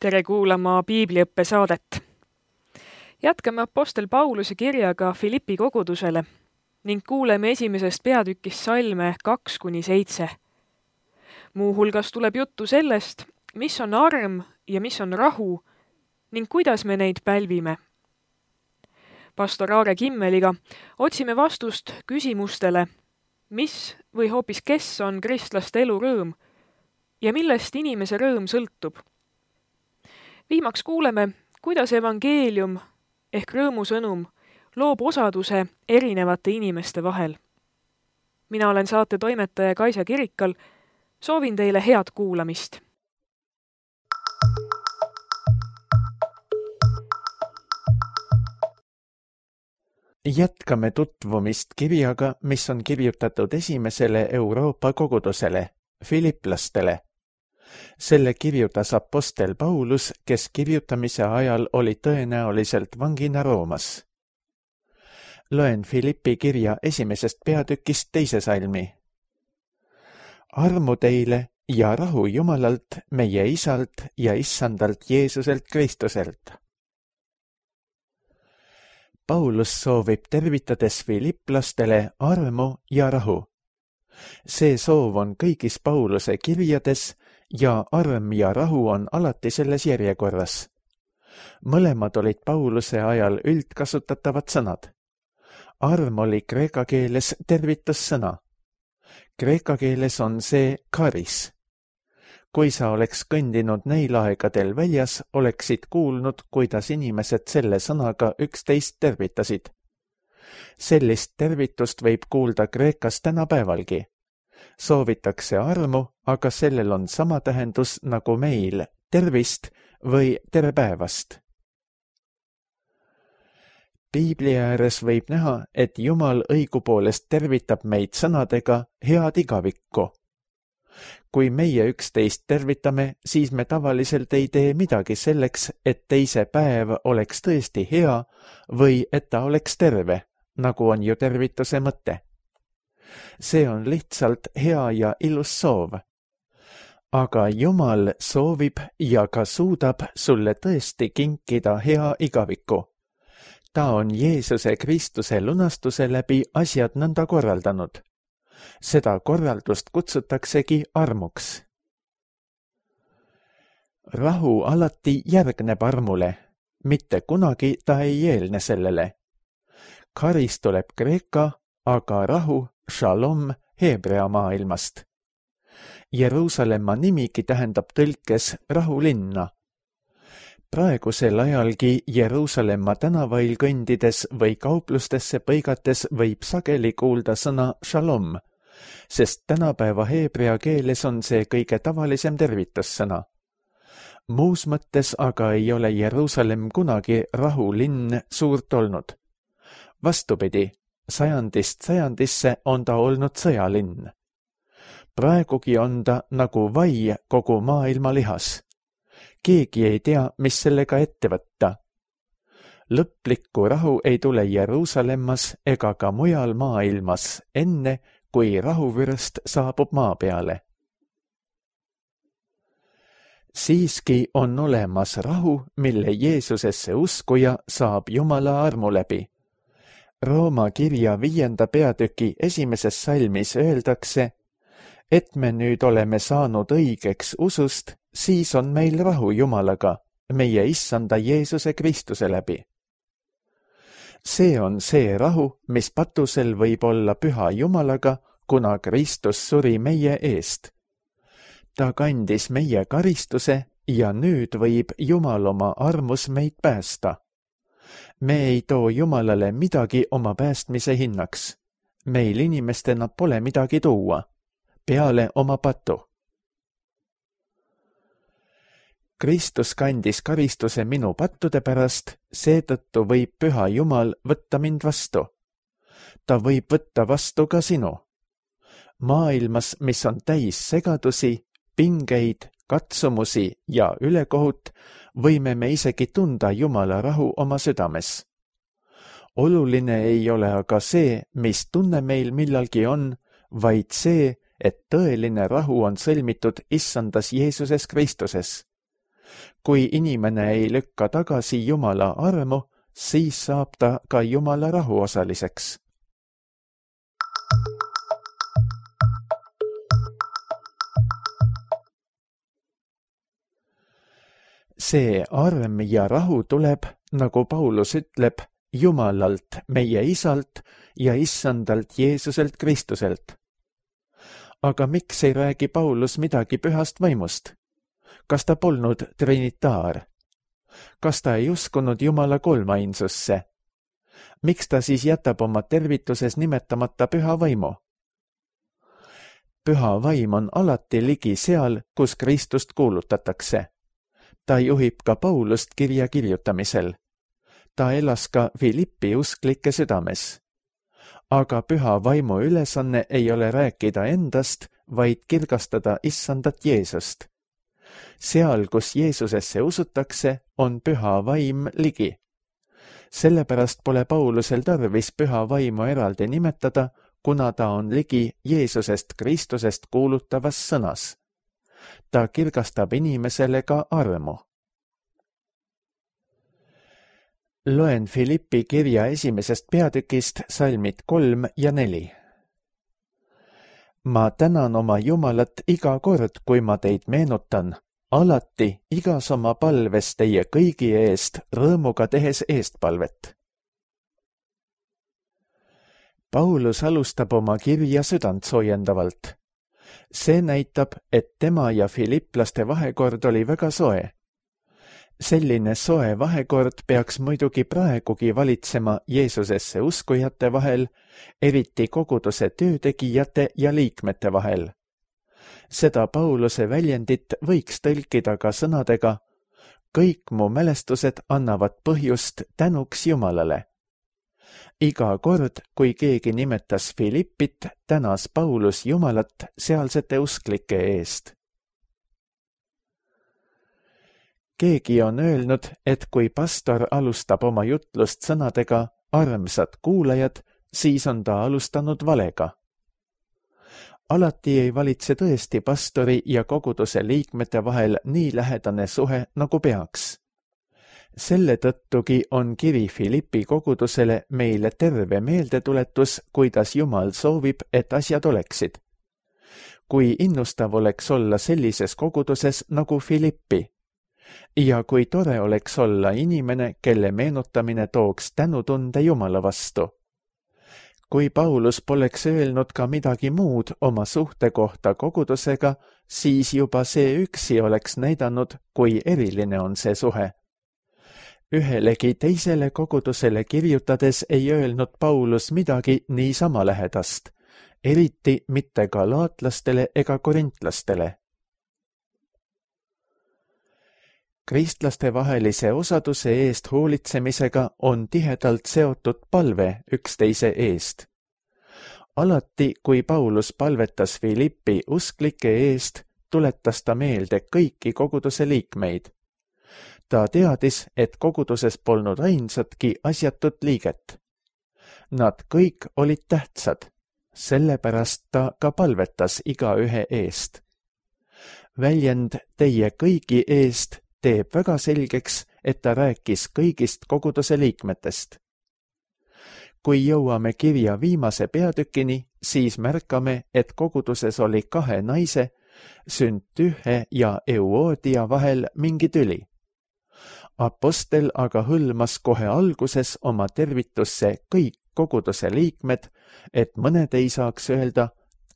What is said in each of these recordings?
Tere kuulama piibliõppe saadet. Jätkame Apostel Pauluse kirjaga Filippi kogudusele ning kuuleme esimesest peatükist salme 2-7. Muuhulgas tuleb juttu sellest, mis on arm ja mis on rahu ning kuidas me neid pälvime. Pastor Aare Kimmeliga otsime vastust küsimustele, mis või hoopis kes on kristlaste elu rõõm ja millest inimese rõõm sõltub. Viimaks kuuleme, kuidas evangeelium ehk rõõmusõnum loob osaduse erinevate inimeste vahel. Mina olen saate toimetaja Kaisa Kirikal. Soovin teile head kuulamist. Jätkame tutvumist kirjaga, mis on kirjutatud esimesele Euroopa kogudusele, filiplastele. Selle kirjutas apostel Paulus, kes kirjutamise ajal oli tõenäoliselt vangina Roomas. Loen Filippi kirja esimesest peatükist 2. salmi. Armu teile ja rahu Jumalalt, meie Isalt ja Issandalt Jeesuselt Kristuselt. Paulus soovib tervitades filiplastele armu ja rahu. See soov on kõigis Pauluse kirjades ja arm ja rahu on alati selles järjekorras. Mõlemad olid Pauluse ajal üldkasutatavad sõnad. Arm oli kreeka keeles tervitussõna. Kreeka keeles on see karis. Kui sa oleks kõndinud neil aegadel väljas, oleksid kuulnud, kuidas inimesed selle sõnaga üksteist tervitasid. Sellist tervitust võib kuulda Kreekas tänapäevalgi. Soovitakse armu, aga sellel on sama tähendus nagu meil, tervist või tere päevast. Piibli ääres võib näha, et Jumal õigupoolest tervitab meid sõnadega head igavikku. Kui meie üksteist tervitame, siis me tavaliselt ei tee midagi selleks, et teise päev oleks tõesti hea või et ta oleks terve, nagu on ju tervituse mõte. See on lihtsalt hea ja ilus soov. Aga Jumal soovib ja ka suudab sulle tõesti kinkida hea igaviku. Ta on Jeesuse Kristuse lunastuse läbi asjad nõnda korraldanud. Seda korraldust kutsutaksegi armuks. Rahu alati järgneb armule, mitte kunagi ta ei eelne sellele. Karis tuleb kreeka, aga rahu, shalom, heebrea maailmast. Jeruusalemma nimigi tähendab tõlkes rahulinna. Praegusel ajalgi Jeruusalemma tänavail kõndides või kauplustesse põigates võib sageli kuulda sõna shalom, sest tänapäeva heebrea keeles on see kõige tavalisem tervitussõna. Muus mõttes aga ei ole Jeruusalemm kunagi rahulinn suurt olnud. Vastupidi, sajandist sajandisse on ta olnud sõjalinn. Praegugi on ta nagu vai kogu maailma lihas. Keegi ei tea, mis sellega ette võtta. Lõplikku rahu ei tule Jeruusalemmas ega ka mujal maailmas enne, kui rahuvürst saabub maa peale. Siiski on olemas rahu, mille Jeesusesse uskuja saab Jumala armu läbi. Rooma kirja 5. peatüki 1. salmis öeldakse, et me nüüd oleme saanud õigeks usust, siis on meil rahu Jumalaga, meie Issanda Jeesuse Kristuse läbi. See on see rahu, mis patusel võib olla püha Jumalaga, kuna Kristus suri meie eest. Ta kandis meie karistuse ja nüüd võib Jumal oma armus meid päästa. Me ei too Jumalale midagi oma päästmise hinnaks. Meil inimestena pole midagi tuua, peale oma patu. Kristus kandis karistuse minu pattude pärast, seetõttu võib püha Jumal võtta mind vastu. Ta võib võtta vastu ka sinu. Maailmas, mis on täis segadusi, pingeid, katsumusi ja ülekohut, võime me isegi tunda Jumala rahu oma südames. Oluline ei ole aga see, mis tunne meil millalgi on, vaid see, et tõeline rahu on sõlmitud Issandas Jeesuses Kristuses. Kui inimene ei lükka tagasi Jumala armu, siis saab ta ka Jumala rahu osaliseks. See arm ja rahu tuleb, nagu Paulus ütleb, Jumalalt, meie Isalt ja Issandalt Jeesuselt Kristuselt. Aga miks ei räägi Paulus midagi pühast vaimust? Kas ta polnud trinitaar? Kas ta ei uskunud Jumala kolmainsusse? Miks ta siis jätab oma tervituses nimetamata püha vaimu? Püha vaim on alati ligi seal, kus Kristust kuulutatakse. Ta juhib ka Paulust kirja kirjutamisel. Ta elas ka Filippi usklike südames. Aga püha vaimu ülesanne ei ole rääkida endast, vaid kirgastada Issandat Jeesust. Seal, kus Jeesusesse usutakse, on püha vaim ligi. Sellepärast pole Paulusel tarvis püha vaimu eraldi nimetada, kuna ta on ligi Jeesusest Kristusest kuulutavas sõnas. Ta kirgastab inimesele ka armu. Loen Filippi kirja 1. peatükist salmid 3 ja 4. Ma tänan oma Jumalat iga kord, kui ma teid meenutan, alati igas oma palves teie kõigi eest rõõmuga tehes eestpalvet. Paulus alustab oma kirja südantsoojendavalt. See näitab, et tema ja filipplaste vahekord oli väga soe. Selline soe vahekord peaks muidugi praegugi valitsema Jeesusesse uskujate vahel, eriti koguduse töötegijate ja liikmete vahel. Seda Pauluse väljendit võiks tõlkida ka sõnadega: kõik mu mälestused annavad põhjust tänuks Jumalale. Iga kord, kui keegi nimetas Filippit, tänas Paulus Jumalat sealsete usklike eest. Keegi on öelnud, et kui pastor alustab oma jutlust sõnadega armsad kuulajad, siis on ta alustanud valega. Alati ei valitse tõesti pastori ja koguduse liikmete vahel nii lähedane suhe, nagu peaks. Selle tõttugi on kiri Filippi kogudusele meile terve meeldetuletus, kuidas Jumal soovib, et asjad oleksid. Kui innustav oleks olla sellises koguduses nagu Filippi. Ja kui tore oleks olla inimene, kelle meenutamine tooks tänutunde Jumala vastu. Kui Paulus poleks öelnud ka midagi muud oma suhte kohta kogudusega, siis juba see üksi oleks näidanud, kui eriline on see suhe. Ühelegi teisele kogudusele kirjutades ei öelnud Paulus midagi niisama lähedast, eriti mitte galaatlastele ega korintlastele. Kristlaste vahelise osaduse eest hoolitsemisega on tihedalt seotud palve üksteise eest. Alati, kui Paulus palvetas Filippi usklike eest, tuletas ta meelde kõiki koguduse liikmeid. Ta teadis, et koguduses polnud ainsatki asjatut liiget. Nad kõik olid tähtsad, sellepärast ta ka palvetas igaühe eest. Väljend teie kõigi eest teeb väga selgeks, et ta rääkis kõigist koguduse liikmetest. Kui jõuame kirja viimase peatükini, siis märkame, et koguduses oli 2 naise, Süntühe ja Euodia vahel mingi tüli. Apostel aga hõlmas kohe alguses oma tervitusse kõik koguduse liikmed, et mõned ei saaks öelda,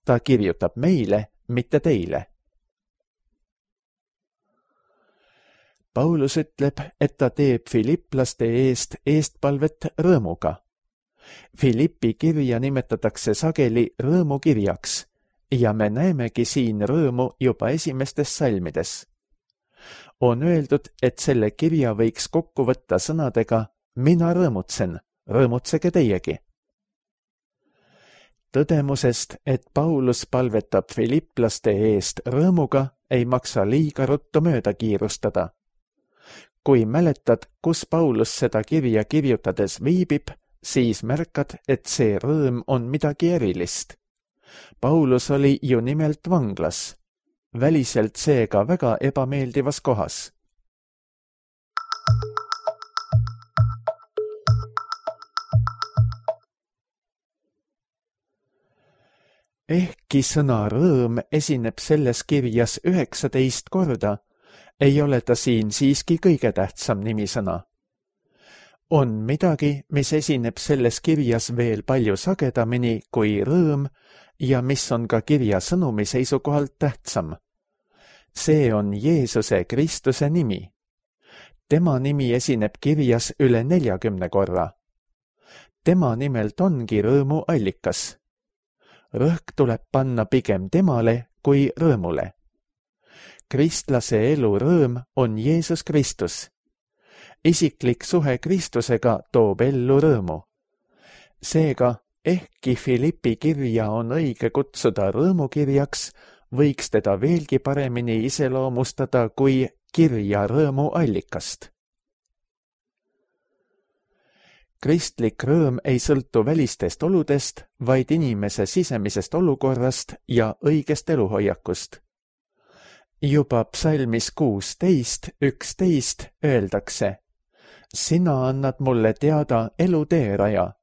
ta kirjutab meile, mitte teile. Paulus ütleb, et ta teeb filipplaste eest eestpalvet rõõmuga. Filippi kirja nimetatakse sageli rõõmukirjaks ja me näemegi siin rõõmu juba esimestes salmides. On öeldud, et selle kirja võiks kokku võtta sõnadega mina rõõmutsen, rõõmutsege teiegi. Tõdemusest, et Paulus palvetab filipplaste eest rõõmuga, ei maksa liiga ruttu mööda kiirustada. Kui mäletad, kus Paulus seda kirja kirjutades viibib, siis märkad, et see rõõm on midagi erilist. Paulus oli ju nimelt vanglas, väliselt seega väga ebameeldivas kohas. Ehkki sõna rõõm esineb selles kirjas 19 korda, ei ole ta siin siiski kõige tähtsam nimisõna. On midagi, mis esineb selles kirjas veel palju sagedamini kui rõõm ja mis on ka kirja sõnumi seisukohalt tähtsam. See on Jeesuse Kristuse nimi. Tema nimi esineb kirjas üle 40 korra. Tema nimelt ongi rõõmu allikas. Rõhk tuleb panna pigem temale kui rõõmule. Kristlase elu rõõm on Jeesus Kristus. Isiklik suhe Kristusega toob ellu rõõmu. Seega, ehkki Philippi kirja on õige kutsuda rõõmukirjaks, võiks teda veelgi paremini iseloomustada kui kirja rõõmu allikast. Kristlik rõõm ei sõltu välistest oludest, vaid inimese sisemisest olukorrast ja õigest eluhoiakust. Juba psalmis 16:11 öeldakse: Sina annad mulle teada elu teeraja.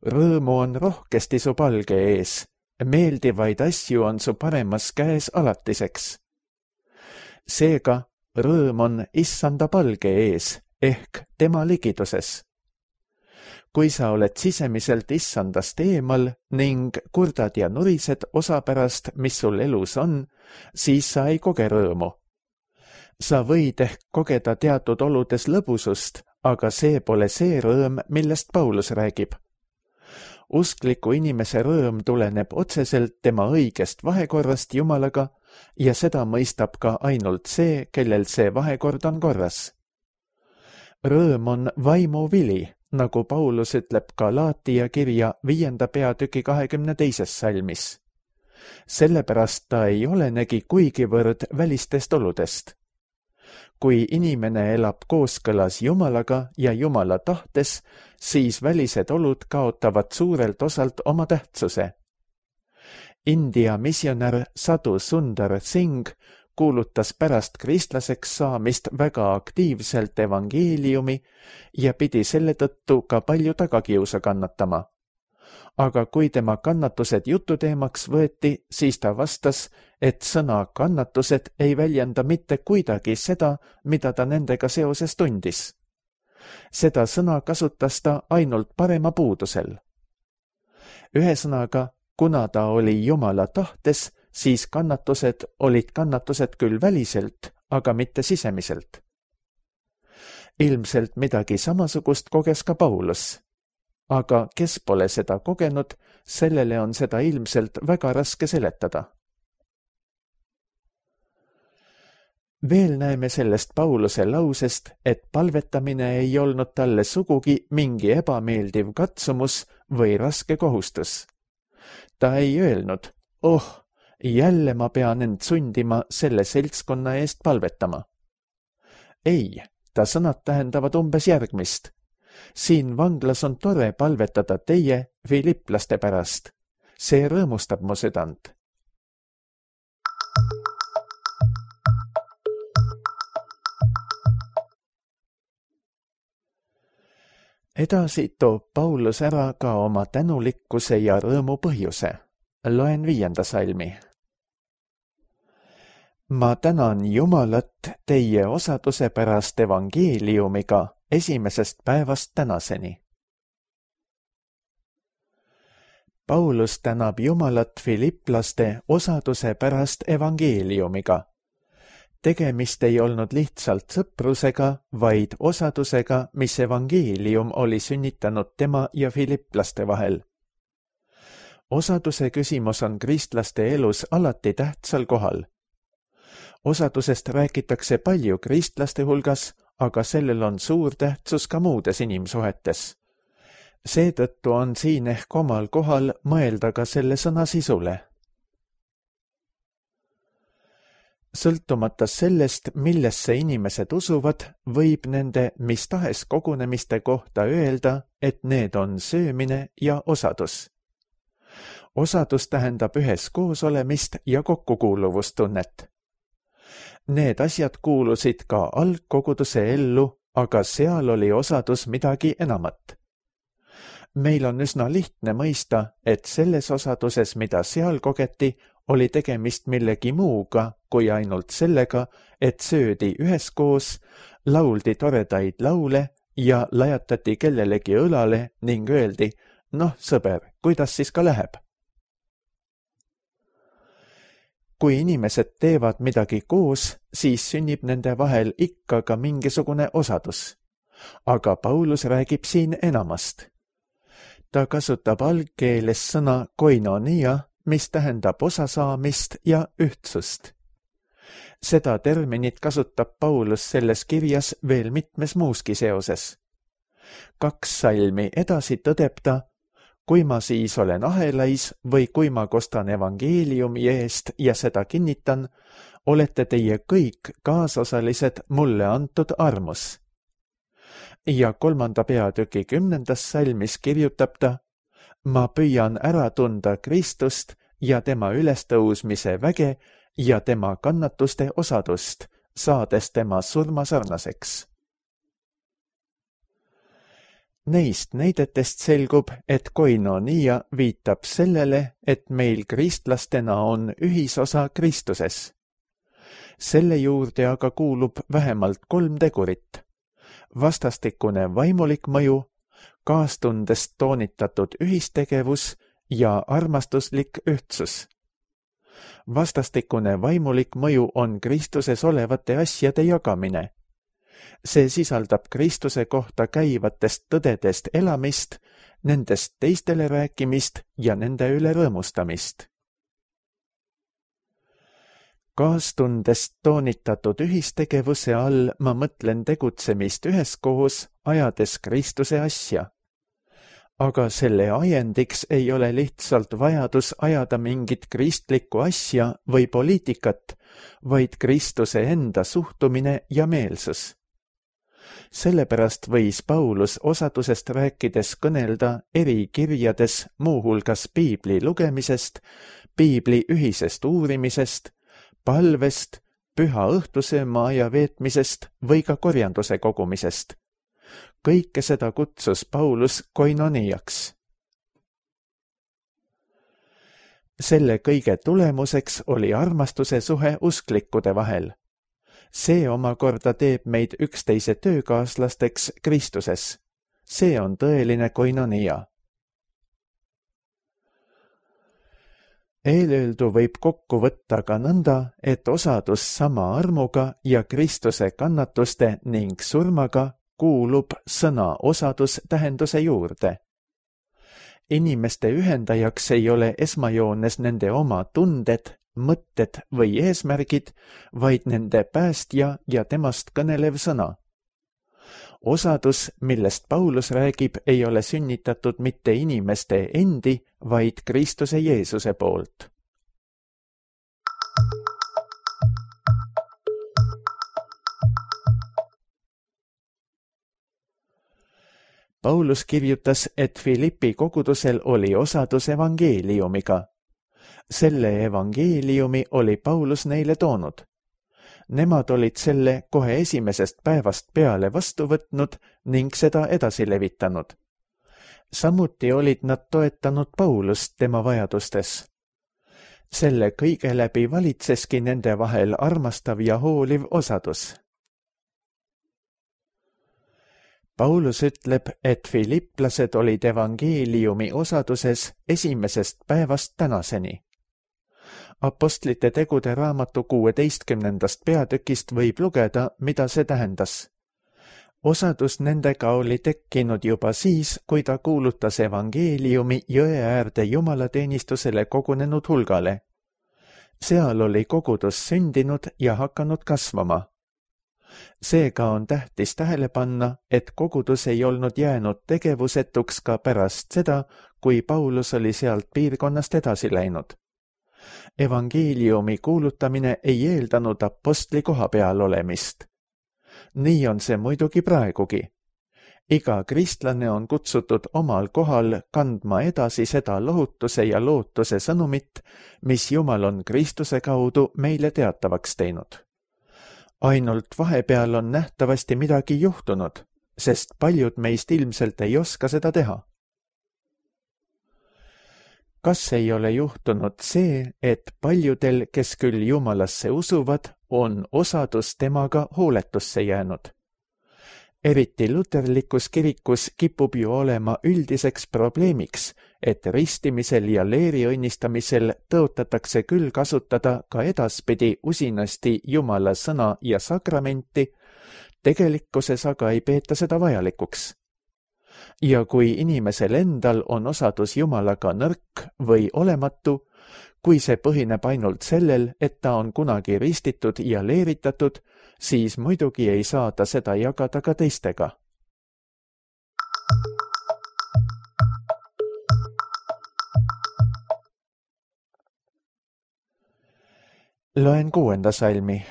Rõõmu on rohkesti su palge ees, meeldivaid asju on su paremas käes alatiseks. Seega, rõõm on issanda palge ees ehk tema ligiduses. Kui sa oled sisemiselt issandast eemal ning kurdad ja nurised osa pärast, mis sul elus on, siis sa ei koge rõõmu. Sa võid ehk kogeda teatud oludes lõbusust, aga see pole see rõõm, millest Paulus räägib. Uskliku inimese rõõm tuleneb otseselt tema õigest vahekorrast Jumalaga ja seda mõistab ka ainult see, kellel see vahekord on korras. Rõõm on vaimu vili, nagu Paulus ütleb Galaatia kirja 5. peatüki 22. salmis. Sellepärast ta ei olenegi kuigivõrd välistest oludest. Kui inimene elab kooskõlas Jumalaga ja Jumala tahtes, siis välised olud kaotavad suurelt osalt oma tähtsuse. India missionär Sadhu Sundar Singh kuulutas pärast kristlaseks saamist väga aktiivselt evangeeliumi ja pidi selle tõttu ka palju tagakiusa kannatama. Aga kui tema kannatused jututeemaks võeti, siis ta vastas, et sõna kannatused ei väljenda mitte kuidagi seda, mida ta nendega seoses tundis. Seda sõna kasutas ta ainult parema puudusel. Ühesõnaga, kuna ta oli Jumala tahtes, siis kannatused olid kannatused küll väliselt, aga mitte sisemiselt. Ilmselt midagi samasugust koges ka Paulus. Aga kes pole seda kogenud, sellele on seda ilmselt väga raske seletada. Veel näeme sellest Pauluse lausest, et palvetamine ei olnud talle sugugi mingi ebameeldiv katsumus või raske kohustus. Ta ei öelnud, jälle ma pean end sundima selle seltskonna eest palvetama. Ei, ta sõnad tähendavad umbes järgmist. Siin vanglas on tore palvetada teie, filiplaste pärast. See rõõmustab mu südant. Edasi toob Paulus ära ka oma tänulikkuse ja rõõmu põhjuse. Loen 5. salmi. Ma tänan Jumalat teie osaduse pärast evangeeliumiga esimesest päevast tänaseni. Paulus tänab Jumalat filiplaste osaduse pärast evangeeliumiga. Tegemist ei olnud lihtsalt sõprusega, vaid osadusega, mis evangeelium oli sünnitanud tema ja filiplaste vahel. Osaduse küsimus on kristlaste elus alati tähtsal kohal. Osadusest räägitakse palju kristlaste hulgas, aga sellel on suur tähtsus ka muudes inimsuhetes. Seetõttu on siin ehk omal kohal mõelda ka selle sõna sisule. Sõltumata sellest, millesse inimesed usuvad, võib nende mis tahes kogunemiste kohta öelda, et need on söömine ja osadus. Osadus tähendab üheskoos olemist ja kokkukuuluvustunnet. Need asjad kuulusid ka algkoguduse ellu, aga seal oli osadus midagi enamat. Meil on üsna lihtne mõista, et selles osaduses, mida seal kogeti, oli tegemist millegi muuga kui ainult sellega, et söödi üheskoos, lauldi toredaid laule ja lajatati kellelegi õlale ning öeldi, noh, sõber, kuidas siis ka läheb? Kui inimesed teevad midagi koos, siis sünnib nende vahel ikka ka mingisugune osadus. Aga Paulus räägib siin enamast. Ta kasutab algkeeles sõna koinonia, mis tähendab osasaamist ja ühtsust. Seda terminit kasutab Paulus selles kirjas veel mitmes muuski seoses. 2 salmi edasi tõdeb ta, kui ma siis olen ahelais või kui ma kostan evangeeliumi eest ja seda kinnitan, olete teie kõik kaasosalised mulle antud armus. Ja 3. peatüki 10. salmis kirjutab ta, ma püüan ära tunda Kristust ja tema ülestõusmise väge ja tema kannatuste osadust, saades tema surmasarnaseks. Neist näidetest selgub, et koinonia viitab sellele, et meil kristlastena on ühisosa Kristuses. Selle juurde aga kuulub vähemalt 3 tegurit. Vastastikune vaimulik mõju, kaastundest toonitatud ühistegevus ja armastuslik ühtsus. Vastastikune vaimulik mõju on Kristuses olevate asjade jagamine. See sisaldab Kristuse kohta käivatest tõdedest elamist, nendest teistele rääkimist ja nende üle rõõmustamist. Kaastundest toonitatud ühistegevuse all ma mõtlen tegutsemist üheskoos, ajades Kristuse asja. Aga selle ajendiks ei ole lihtsalt vajadus ajada mingit kristlikku asja või poliitikat, vaid Kristuse enda suhtumine ja meelsus. Sellepärast võis Paulus osadusest rääkides kõnelda eri kirjades muuhulgas piibli lugemisest, piibli ühisest uurimisest, palvest, püha õhtusööma aja veetmisest või ka korjanduse kogumisest. Kõike seda kutsus Paulus koinoniaks. Selle kõige tulemuseks oli armastuse suhe usklikkude vahel. See omakorda teeb meid üksteise töökaaslasteks Kristuses. See on tõeline koinonia. Eelöeldu võib kokku võtta ka nõnda, et osadus sama armuga ja Kristuse kannatuste ning surmaga kuulub sõna osadus tähenduse juurde. Inimeste ühendajaks ei ole esmajoones nende oma tunded, mõtted või eesmärgid, vaid nende päästja ja temast kõnelev sõna. Osadus, millest Paulus räägib, ei ole sünnitatud mitte inimeste endi, vaid Kristuse Jeesuse poolt. Paulus kirjutas, et Filippi kogudusel oli osadus evangeeliumiga. Selle evangeeliumi oli Paulus neile toonud. Nemad olid selle kohe esimesest päevast peale vastu võtnud ning seda edasi levitanud. Samuti olid nad toetanud Paulust tema vajadustes. Selle kõige läbi valitseski nende vahel armastav ja hooliv osadus. Paulus ütleb, et filipplased olid evangeeliumi osaduses esimesest päevast tänaseni. Apostlite tegude raamatu 16. peatükist võib lugeda, mida see tähendas. Osadus nendega oli tekkinud juba siis, kui ta kuulutas evangeeliumi jõe äärde jumalateenistusele kogunenud hulgale. Seal oli kogudus sündinud ja hakanud kasvama. Seega on tähtis tähele panna, et kogudus ei olnud jäänud tegevusetuks ka pärast seda, kui Paulus oli sealt piirkonnast edasi läinud. Evangeeliumi kuulutamine ei eeldanud apostli koha peal olemist. Nii on see muidugi praegugi. Iga kristlane on kutsutud omal kohal kandma edasi seda lohutuse ja lootuse sõnumit, mis Jumal on Kristuse kaudu meile teatavaks teinud. Ainult vahepeal on nähtavasti midagi juhtunud, sest paljud meist ilmselt ei oska seda teha. kas ei ole juhtunud see, et paljudel, kes küll Jumalasse usuvad, on osadus temaga hooletusse jäänud? Eriti luterlikus kirikus kipub ju olema üldiseks probleemiks, et ristimisel ja leeri õnnistamisel tõotatakse küll kasutada ka edaspidi usinasti Jumala sõna ja sakramenti, tegelikkuses aga ei peeta seda vajalikuks. Ja kui inimesel endal on osadus Jumalaga nõrk või olematu, kui see põhineb ainult sellel, et ta on kunagi ristitud ja leeritatud, siis muidugi ei saa ta seda jagada ka teistega. Loen 6. salmi.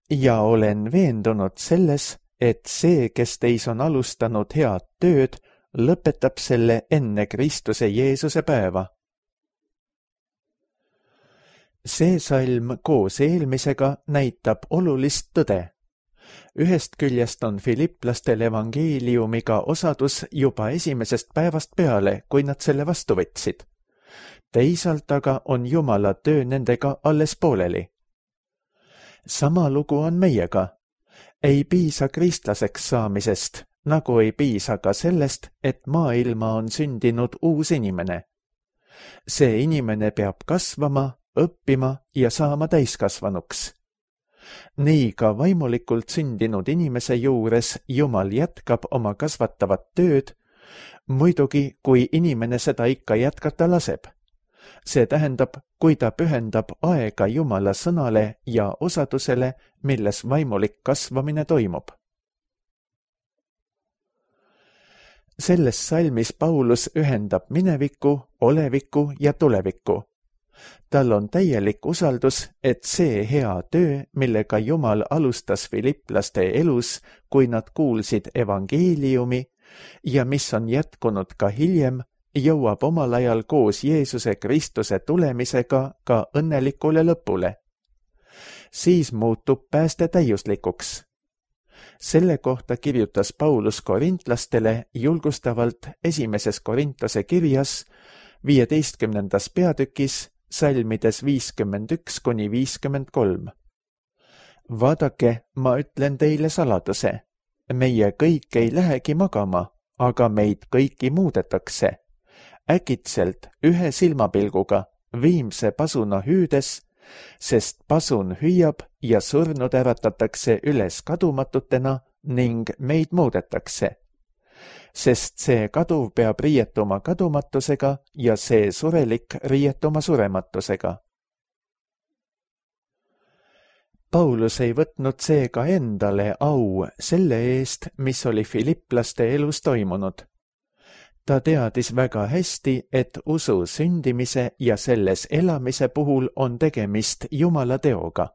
Ja olen veendunud selles, et see, kes teis on alustanud head tööd, lõpetab selle enne Kristuse Jeesuse päeva. See salm koos eelmisega näitab olulist tõde. Ühest küljest on filiplastel evangeeliumiga osadus juba esimesest päevast peale, kui nad selle vastu võtsid. Teisalt aga on Jumala töö nendega alles pooleli. Sama lugu on meiega. Ei piisa kristlaseks saamisest, nagu ei piisa ka sellest, et maailma on sündinud uus inimene. See inimene peab kasvama, õppima ja saama täiskasvanuks. Nii ka vaimulikult sündinud inimese juures Jumal jätkab oma kasvatavat tööd, muidugi kui inimene seda ikka jätkata laseb. See tähendab, kui ta pühendab aega Jumala sõnale ja osadusele, milles vaimulik kasvamine toimub. Selles salmis Paulus ühendab mineviku, oleviku ja tuleviku. Tal on täielik usaldus, et see hea töö, millega Jumal alustas filiplaste elus, kui nad kuulsid evangeeliumi ja mis on jätkunud ka hiljem, jõuab omal ajal koos Jeesuse Kristuse tulemisega ka õnnelikule lõpule. Siis muutub pääste täiuslikuks. Selle kohta kirjutas Paulus korintlastele julgustavalt 1. Korintuse kirjas 15. peatükis salmides 51–53. Vaadake, ma ütlen teile saladuse. Meie kõik ei lähegi magama, aga meid kõiki muudetakse. Äkitselt ühe silmapilguga, viimse pasuna hüüdes, sest pasun hüüab ja surnud äratatakse üles kadumatutena ning meid muudetakse. Sest see kaduv peab riietuma kadumatusega ja see surelik riietuma surematusega. Paulus ei võtnud seega endale au selle eest, mis oli filiplaste elus toimunud. Ta teadis väga hästi, et usu sündimise ja selles elamise puhul on tegemist Jumala teoga.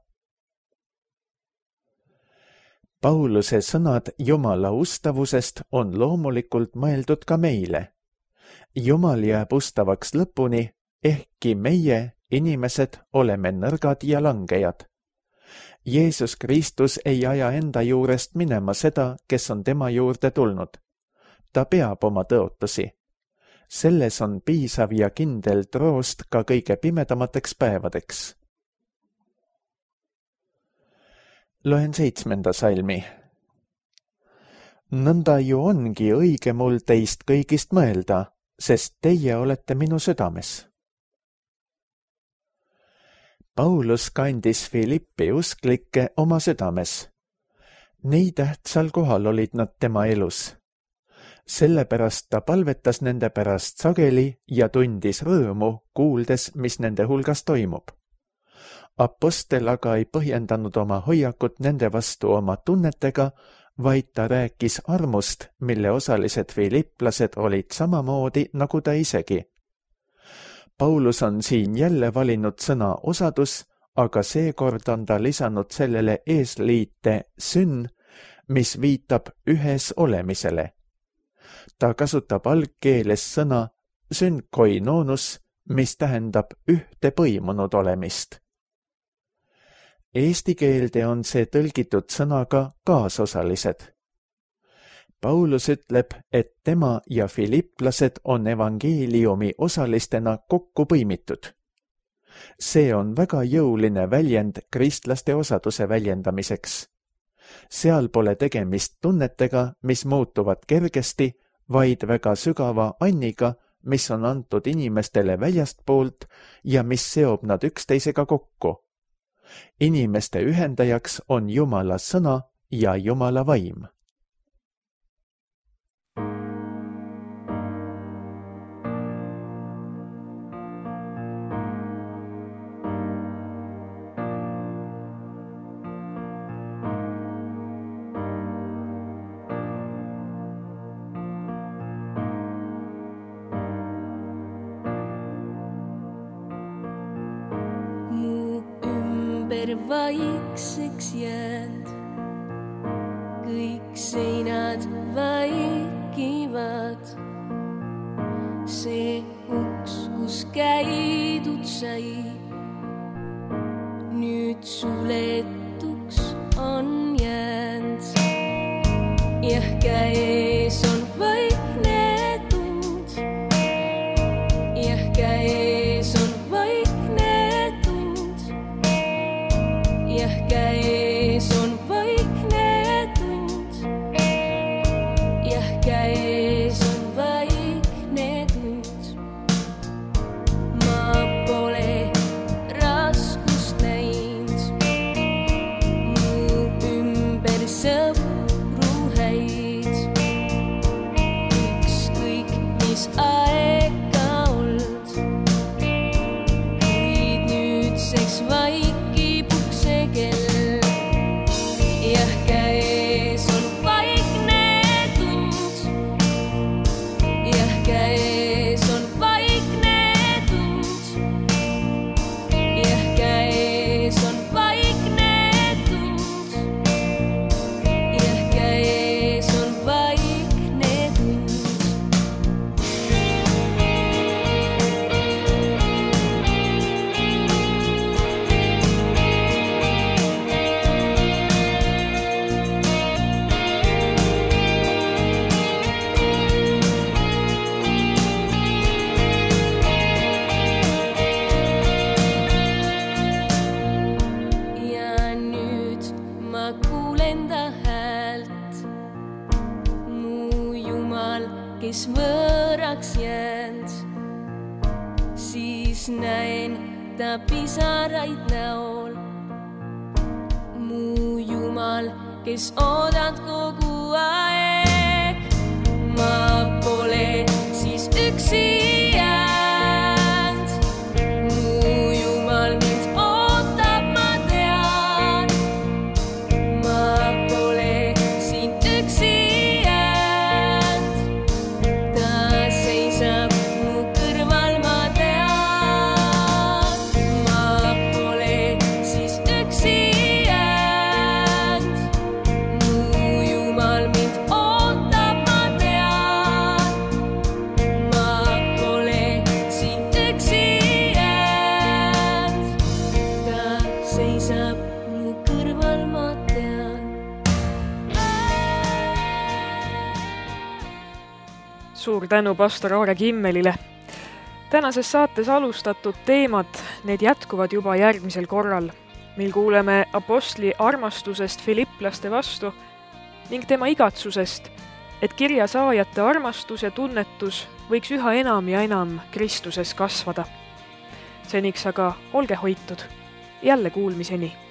Pauluse sõnad Jumala ustavusest on loomulikult mõeldud ka meile. Jumal jääb ustavaks lõpuni, ehkki meie, inimesed, oleme nõrgad ja langejad. Jeesus Kristus ei aja enda juurest minema seda, kes on tema juurde tulnud. Ta peab oma tõotusi. Selles on piisav ja kindel troost ka kõige pimedamateks päevadeks. Loen 7. salmi. Nõnda ju ongi õige mul teist kõigist mõelda, sest teie olete minu südames. Paulus kandis Filippi usklikke oma südames. Nii tähtsal kohal olid nad tema elus. Sellepärast ta palvetas nende pärast sageli ja tundis rõõmu, kuuldes, mis nende hulgas toimub. Apostel aga ei põhjendanud oma hoiakut nende vastu oma tunnetega, vaid ta rääkis armust, mille osalised filiplased olid samamoodi nagu ta isegi. Paulus on siin jälle valinud sõna osadus, aga seekord on ta lisanud sellele eesliite syn, mis viitab ühes olemisele. Ta kasutab algkeeles sõna synkoinonus, mis tähendab ühte põimunud olemist. Eesti keelde on see tõlgitud sõnaga kaasosalised. Paulus ütleb, et tema ja filipplased on evangeeliumi osalistena kokku põimitud. See on väga jõuline väljend kristlaste osaduse väljendamiseks. Seal pole tegemist tunnetega, mis muutuvad kergesti, vaid väga sügava anniga, mis on antud inimestele väljastpoolt ja mis seob nad üksteisega kokku. Inimeste ühendajaks on Jumala sõna ja Jumala vaim. Vaikseks jäänd, kõik seinad vaikivad. See uks, kus käidud sai, nüüd suletuks on jäänd. Jah, käes on vaikne tund, jah, käes on käes on vaikne tund, jah, käes on vaikne tund. Ma pole raskust näinud, mu ümber sõpru häid. Ükskõik, mis aega old, kuid nüüdseks vaikib kell. Jah, käes on vaikne tund, jah, käes on vaikne tund, jah, käes on vaikne tund, jah, käes on vaikne tund. Kes võõraks jäänd, siis näen ta pisaraid näol. Mu Jumal, kes oodad kogu aeg, ma pole siis üksi jäänd. Mu Jumal mind ootab, ma tean, ma pole siin üksi. Suur tänu pastor Aare Kimmelile. Tänases saates alustatud teemad, need jätkuvad juba järgmisel korral, mil kuuleme apostli armastusest filipplaste vastu ning tema igatsusest, et kirja saajate armastus ja tunnetus võiks üha enam ja enam Kristuses kasvada. Seniks aga olge hoitud. Jälle kuulmiseni.